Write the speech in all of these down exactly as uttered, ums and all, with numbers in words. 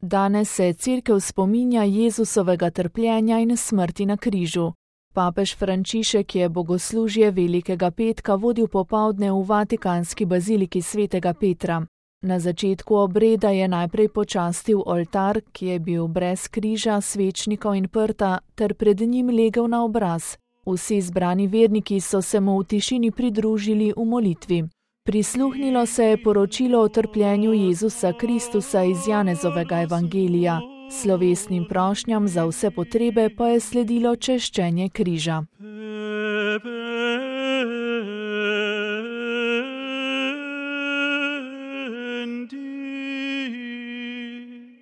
Danes se Cerkev spominja Jezusovega trpljenja in smrti na križu. Papež Frančišek je bogoslužje Velikega petka vodil popoldne v vatikanski baziliki svetega Petra. Na začetku obreda je najprej počastil oltar, ki je bil brez križa, svečnikov in prta, ter pred njim legel na obraz. Vsi zbrani verniki so se mu v tišini pridružili v molitvi. Prisluhnilo se je poročilo o trpljenju Jezusa Kristusa iz Janezovega evangelija. Slovesnim prošnjam za vse potrebe pa je sledilo češčenje križa.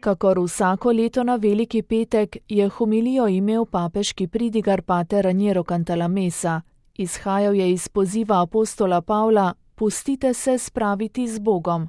Kakor vsako leto na Veliki petek je homilijo imel papeški pridigar pater Raniero Cantalamessa. Izhajal je iz poziva apostola Pavla: Pustite se spraviti z Bogom.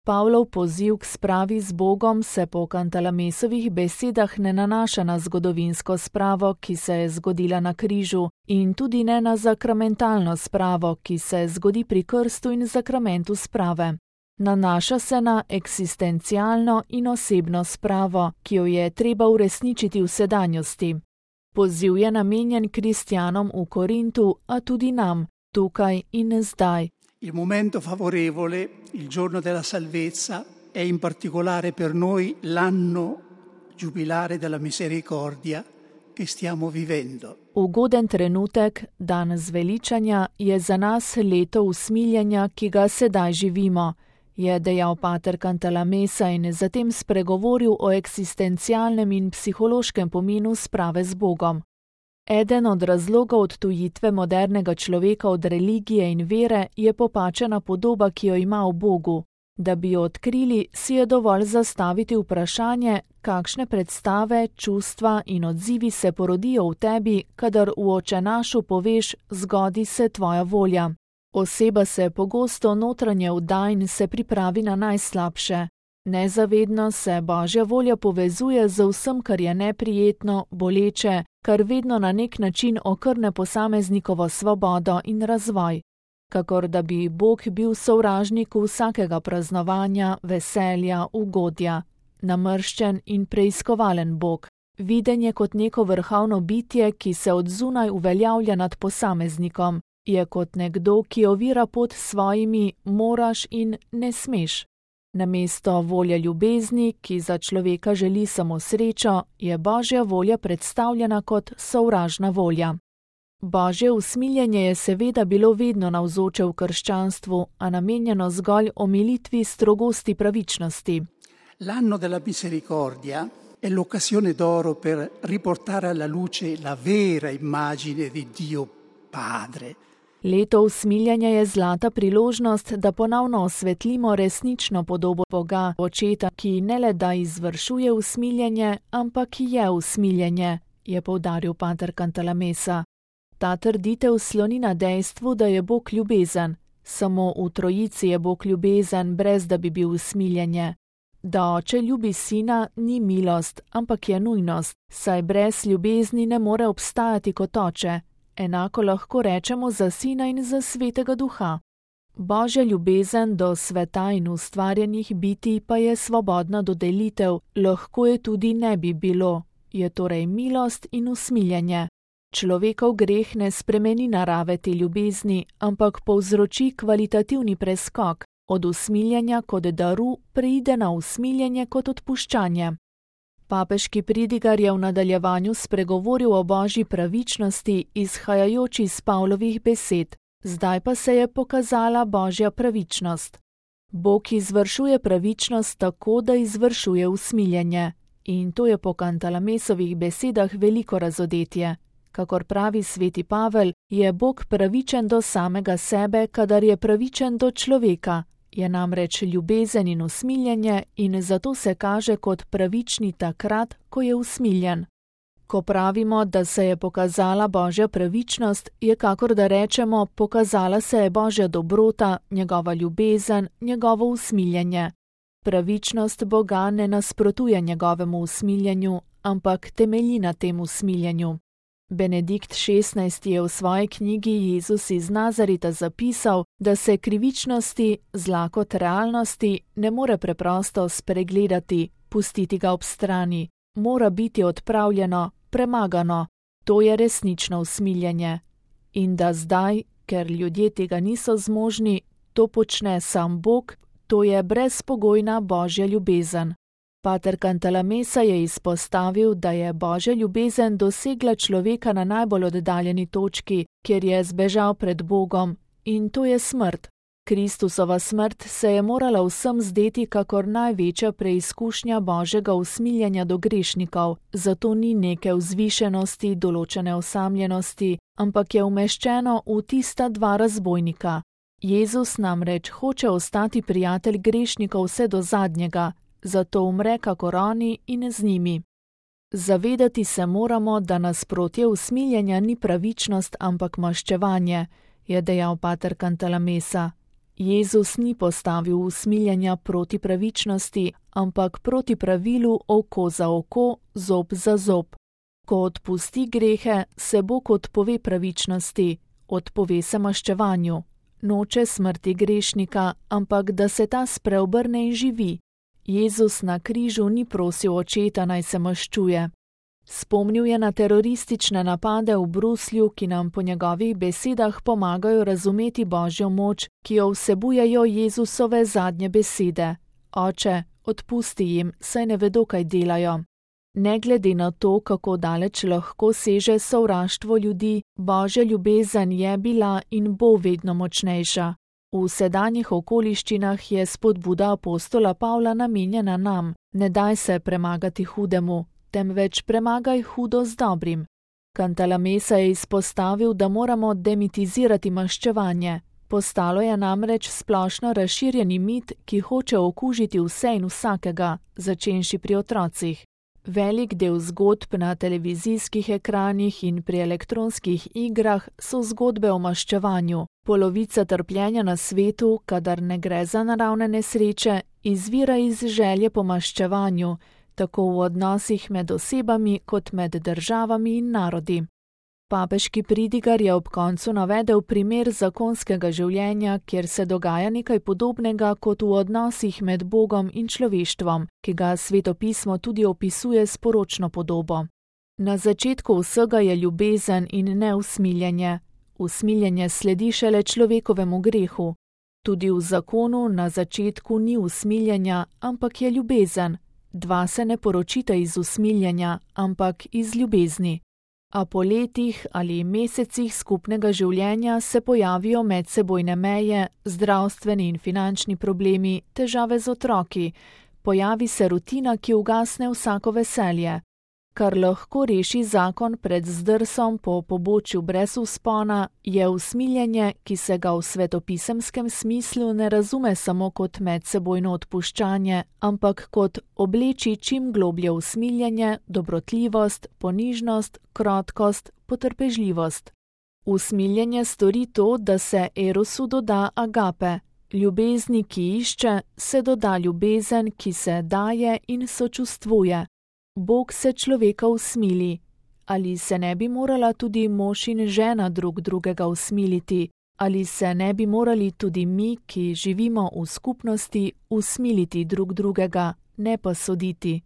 Pavlov poziv k spravi z Bogom se po Cantalamessovih besedah ne nanaša na zgodovinsko spravo, ki se je zgodila na križu, in tudi ne na zakramentalno spravo, ki se zgodi pri krstu in zakramentu sprave. Nanaša se na eksistencialno in osebno spravo, ki jo je treba uresničiti v sedanjosti. Poziv je namenjen kristjanom v Korintu, a tudi nam, tukaj in zdaj. Il momento favorevole, il giorno della salvezza, è in particolare per noi l'anno giubilare della misericordia che stiamo vivendo. Ugoden trenutek, dan zveličanja, je za nas leto usmiljenja, ki ga sedaj živimo, je dejal pater Cantalamessa in zatem spregovoril o eksistencialnem in psihološkem pomenu sprave z Bogom. Eden od razlogov odtujitve modernega človeka od religije in vere je popačena podoba, ki jo ima o Bogu. Da bi jo odkrili, si je dovolj zastaviti vprašanje, kakšne predstave, čustva in odzivi se porodijo v tebi, kadar v očenašu poveš: zgodi se tvoja volja. Oseba se pogosto notranje vda in se pripravi na najslabše. Nezavedno se Božja volja povezuje z vsem, kar je neprijetno, boleče, kar vedno na nek način okrne posameznikovo svobodo in razvoj. Kakor da bi Bog bil sovražnik vsakega praznovanja, veselja, ugodja. Namrščen in preiskovalen Bog. Viden je kot neko vrhovno bitje, ki se od zunaj uveljavlja nad posameznikom. Je kot nekdo, ki ovira pot svojimi moraš in ne smeš. Namesto volje ljubezni, ki za človeka želi samo srečo, je Božja volja predstavljena kot sovražna volja. Božje usmiljenje je seveda bilo vedno navzoče v krščanstvu, a namenjeno zgolj omilitvi strogosti pravičnosti. L'anno della misericordia è l'occasione d'oro per riportare alla luce la vera immagine di Dio Padre. Leto usmiljenja je zlata priložnost, da ponovno osvetlimo resnično podobo Boga, Očeta, ki ne le da izvršuje usmiljenje, ampak je usmiljenje, je poudaril pater Cantalamessa. Ta trditev sloni na dejstvu, da je Bog ljubezen. Samo v trojici je Bog ljubezen, brez da bi bil usmiljenje. Da oče ljubi sina, ni milost, ampak je nujnost, saj brez ljubezni ne more obstajati kot oče. Enako lahko rečemo za sina in za svetega duha. Božja ljubezen do sveta in ustvarjenih bitij pa je svobodna dodelitev, lahko je tudi ne bi bilo, je torej milost in usmiljenje. Človekov greh ne spremeni narave te ljubezni, ampak povzroči kvalitativni preskok, od usmiljenja kot daru preide na usmiljenje kot odpuščanje. Papeški pridigar je v nadaljevanju spregovoril o božji pravičnosti, izhajajoč iz Pavlovih besed. Zdaj pa se je pokazala božja pravičnost. Bog izvršuje pravičnost tako, da izvršuje usmiljenje. In to je po Cantalamessovih besedah veliko razodetje. Kakor pravi sveti Pavel, je Bog pravičen do samega sebe, kadar je pravičen do človeka. Je namreč ljubezen in usmiljenje in zato se kaže kot pravični takrat, ko je usmiljen. Ko pravimo, da se je pokazala božja pravičnost, je kakor da rečemo, pokazala se je božja dobrota, njegova ljubezen, njegovo usmiljenje. Pravičnost Boga ne nasprotuje njegovemu usmiljenju, ampak temelji na tem usmiljenju. Benedikt šestnajsti je v svoji knjigi Jezus iz Nazareta zapisal, da se krivičnosti, zla kot realnosti, ne more preprosto spregledati, pustiti ga ob strani, mora biti odpravljeno, premagano. To je resnično usmiljenje. In da zdaj, ker ljudje tega niso zmožni, to počne sam Bog, to je brezpogojna Božja ljubezen. Pater Cantalamessa je izpostavil, da je Božja ljubezen dosegla človeka na najbolj oddaljeni točki, kjer je zbežal pred Bogom, in to je smrt. Kristusova smrt se je morala vsem zdeti kakor največja preizkušnja Božjega usmiljenja do grešnikov, zato ni neke vzvišenosti, določene osamljenosti, ampak je umeščeno v tista dva razbojnika. Jezus namreč hoče ostati prijatelj grešnikov vse do zadnjega, zato umre kakor oni in z njimi. Zavedati se moramo, da nasprotje usmiljenja ni pravičnost, ampak maščevanje, je dejal pater Cantalamessa. Jezus ni postavil usmiljenja proti pravičnosti, ampak proti pravilu oko za oko, zob za zob. Ko odpusti grehe, se Bog odpove pravičnosti, odpove se maščevanju. Noče smrti grešnika, ampak da se ta spreobrne in živi. Jezus na križu ni prosil očeta, naj se maščuje. Spomnil je na teroristične napade v Bruslju, ki nam po njegovih besedah pomagajo razumeti Božjo moč, ki jo vsebujejo Jezusove zadnje besede. Oče, odpusti jim, saj ne vedo, kaj delajo. Ne glede na to, kako daleč lahko seže sovraštvo ljudi, Božja ljubezen je bila in bo vedno močnejša. V sedanjih okoliščinah je spodbuda apostola Pavla namenjena nam: ne daj se premagati hudemu, temveč premagaj hudo z dobrim. Cantalamessa je izpostavil, da moramo demitizirati maščevanje. Postalo je namreč splošno razširjeni mit, ki hoče okužiti vse in vsakega, začenši pri otrocih. Velik del zgodb na televizijskih ekranih in pri elektronskih igrah so zgodbe o maščevanju. Polovica trpljenja na svetu, kadar ne gre za naravne nesreče, izvira iz želje po maščevanju, tako v odnosih med osebami kot med državami in narodi. Papeški pridigar je ob koncu navedel primer zakonskega življenja, kjer se dogaja nekaj podobnega kot v odnosih med Bogom in človeštvom, ki ga Sveto pismo tudi opisuje s poročno podobo. Na začetku vsega je ljubezen in ne usmiljenje. Usmiljenje sledi šele človekovemu grehu. Tudi v zakonu na začetku ni usmiljenja, ampak je ljubezen. Dva se ne poročita iz usmiljenja, ampak iz ljubezni. A po letih ali mesecih skupnega življenja se pojavijo medsebojne meje, zdravstveni in finančni problemi, težave z otroki, pojavi se rutina, ki ugasne vsako veselje. Kar lahko reši zakon pred zdrsom po pobočju brez vzpona, je usmiljenje, ki se ga v svetopisemskem smislu ne razume samo kot medsebojno odpuščanje, ampak kot obleči čim globlje usmiljenje, dobrotljivost, ponižnost, krotkost, potrpežljivost. Usmiljenje stori to, da se erosu doda agape. Ljubezni, ki išče, se doda ljubezen, ki se daje in sočustvuje. Bog se človeka usmili. Ali se ne bi morala tudi mož in žena drug drugega usmiliti? Ali se ne bi morali tudi mi, ki živimo v skupnosti, usmiliti drug drugega, ne pa soditi?